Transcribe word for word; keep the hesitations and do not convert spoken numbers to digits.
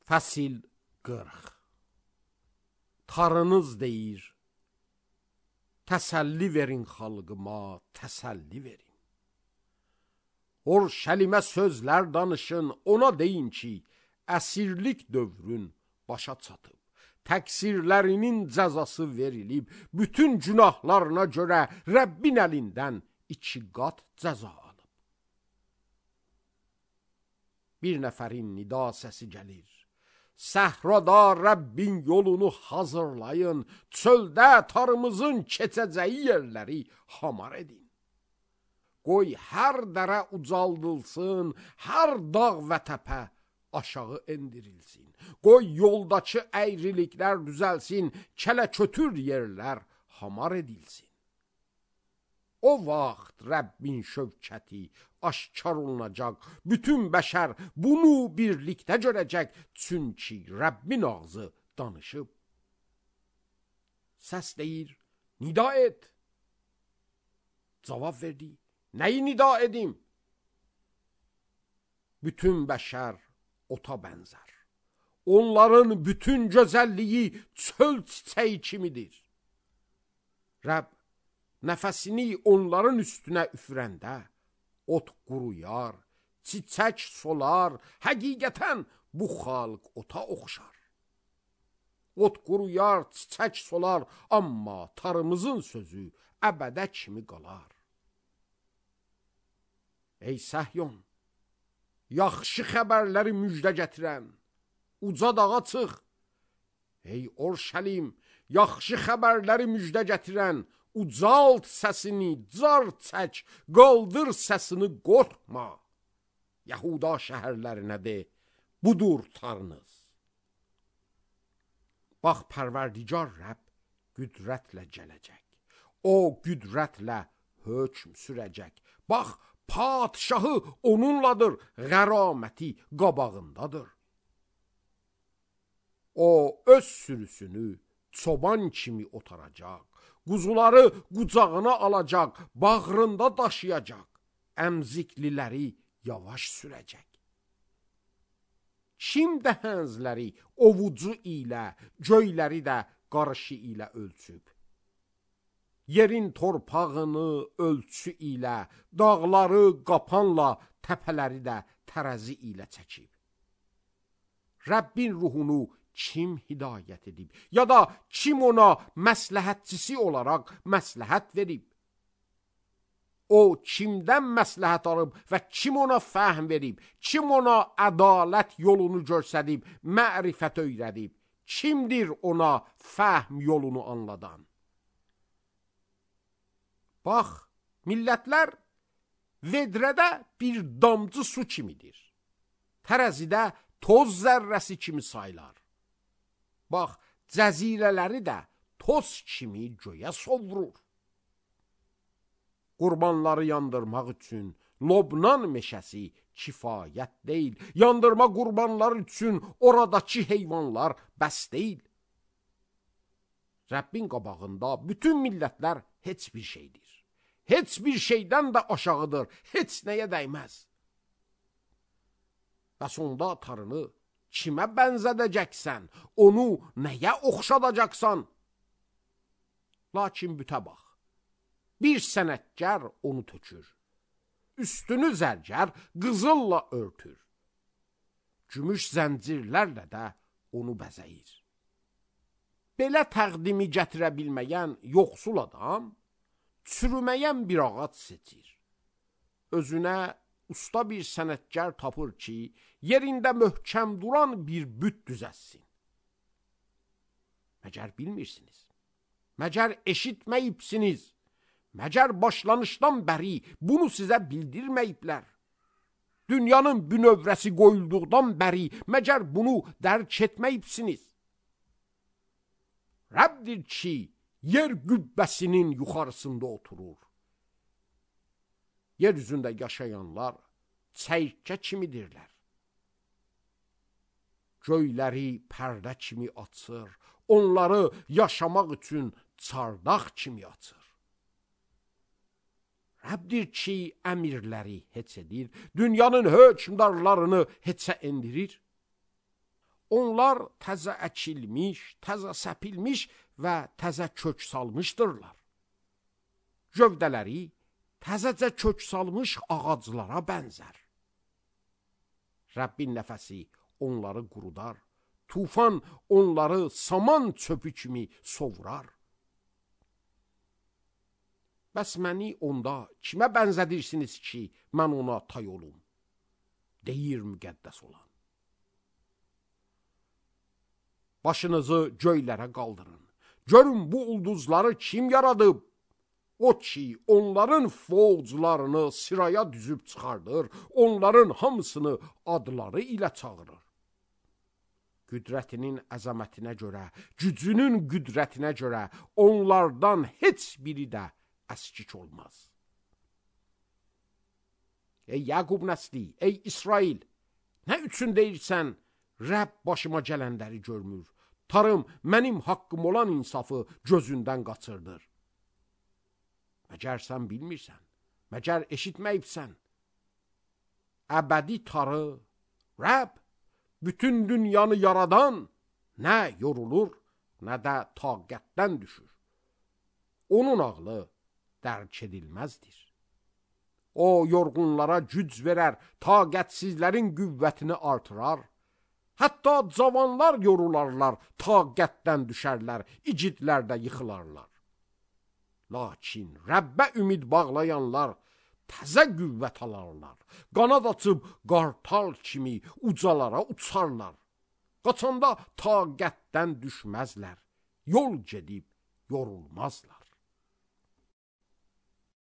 Fəsil qırx. Tarınız deyir, təsəlli verin xalqıma, təsəlli verin. Orşəlimə sözlər danışın, ona deyin ki, əsirlik dövrün başa çatıb. Təqsirlərinin cəzası verilib, bütün günahlarına görə Rəbbin əlindən iki qat cəza alıb. Bir nəfərin nida səsi gəlir. Səhrada Rəbbin yolunu hazırlayın, çöldə tarımızın keçəcəyi yerləri hamar edin. Qoy hər dərə ucaldılsın, hər dağ və təpə aşağı endirilsin. Qoy yoldakı əyriliklər düzəlsin, kələ-kötür yerlər hamar edilsin. O vaxt Rəbbin şövkəti aşkar olunacaq, bütün bəşər bunu birlikdə görəcək, çünki Rəbbin ağzı danışıb. Səs deyir, nida et. Cavab verdi, nəyi nida edim? Bütün bəşər ota bənzər. Onların bütün gözəlliyi çöl çiçəyi kimidir. Rəbb nəfəsini onların üstünə üfürəndə ot quruyar, çiçək solar, həqiqətən bu xalq ota oxşar. Ot quruyar, çiçək solar, amma tarımızın sözü əbədə kimi qalar. Ey Səhyon, yaxşı xəbərləri müjdə gətirən, uca dağa çıx. Ey Orşəlim, yaxşı xəbərləri müjdə gətirən, ucalt səsini, car çək, qaldır səsini, qorxma. Yahuda şəhərlərinə de, budur tarınız. Bax, Pərverdigar Rəbb qüdrətlə gələcək. O qüdrətlə hökm sürəcək. Bax, padşahı onunladır, qəraməti qabağındadır. O öz sürüsünü çoban kimi otaracaq, quzuları qucağına alacaq, bağrında daşıyacaq, əmzikliləri yavaş sürəcək. Kim dəhənzləri ovucu ilə, göyləri də qarışı ilə ölçüb? Yerin torpağını ölçü ilə, dağları qapanla, təpələri də tərəzi ilə çəkib. Rəbbin ruhunu kim hidayət edib, ya da kim ona məsləhətçisi olaraq məsləhət verib? O kimdən məsləhət alıb və kim ona fəhm verib, kim ona ədalət yolunu göstərib, mərifət öyrədib, kimdir ona fəhm yolunu anladan? Bax, millətlər vedrədə bir damcı su kimidir, tərəzidə toz zərrəsi kimi saylar. Bax, cəzirələri də toz kimi göyə sovrur. Qurbanları yandırmaq üçün Lobnan meşəsi kifayət deyil. Yandırma qurbanları üçün oradakı heyvanlar bəs deyil. Rəbbin qabağında bütün millətlər heç bir şeydir. Heç bir şeydən də aşağıdır, heç nəyə dəyməz. Bəs onda tarını kimə bənzədəcəksən, onu nəyə oxşadacaqsan? Lakin bütə bax, bir sənətkar onu tökür, üstünü zərgər qızılla örtür, gümüş zəncirlərlə də onu bəzəyir. Belə təqdimi gətirə bilməyən yoxsul adam, çürüməyən bir ağac seçir. Özünə usta bir sənətkar tapır ki, yerində möhkəm duran bir büt düzəssin. Məgər bilmirsiniz, məgər eşitməyibsiniz, məgər başlanışdan bəri bunu sizə bildirməyiblər. Dünyanın bünövrəsi qoyulduqdan bəri məgər bunu dərk etməyibsiniz. Rəbbdir ki, yer qübbəsinin yuxarısında oturur. Yer üzündə yaşayanlar çəykə kimidirlər. Göyləri pərdə kimi açır, onları yaşamaq üçün çardaq kimi açır. Rəbbdir ki, əmirləri heç edir, dünyanın hökmdarlarını heçə endirir. Onlar təzə əkilmiş, təzə səpilmiş və təzə kök salmışdırlar. Gövdələri təzəcə kök salmış ağaclara bənzər. Rəbbin nəfəsi onları qurudar, tufan onları saman çöpü kimi sovurar. Bəs məni onda kimə bənzədirsiniz ki, mən ona tay olum? Deyir müqəddəs olan. Başınızı göylərə qaldırın. Görün bu ulduzları kim yaradıb? O ki, onların fovclarını sıraya düzüb çıxardır, onların hamısını adları ilə çağırır. Qüdrətinin əzəmətinə görə, gücünün qüdrətinə görə onlardan heç biri də əskik olmaz. Ey Yaqub nəsli, ey İsrail, nə üçün deyirsən, Rəbb başıma gələnləri görmür, Tarım mənim haqqım olan insafı gözündən qaçırdır. Məgər sən bilmirsən, məgər eşitməyibsən. Əbədi Tarı, Rəbb, bütün dünyanı yaradan nə yorulur, nə də taqətdən düşür. Onun ağlı dərk edilməzdir. O, yorğunlara güc verər, taqətsizlərin qüvvətini artırar. Hətta cavanlar yorularlar, taqətdən düşərlər, igidlər də yıxılarlar. Lakin Rəbbə ümid bağlayanlar təzə qüvvət alarlar. Qanad açıb qartal kimi ucalara uçarlar. Qaçanda taqətdən düşməzlər, yol gedib yorulmazlar.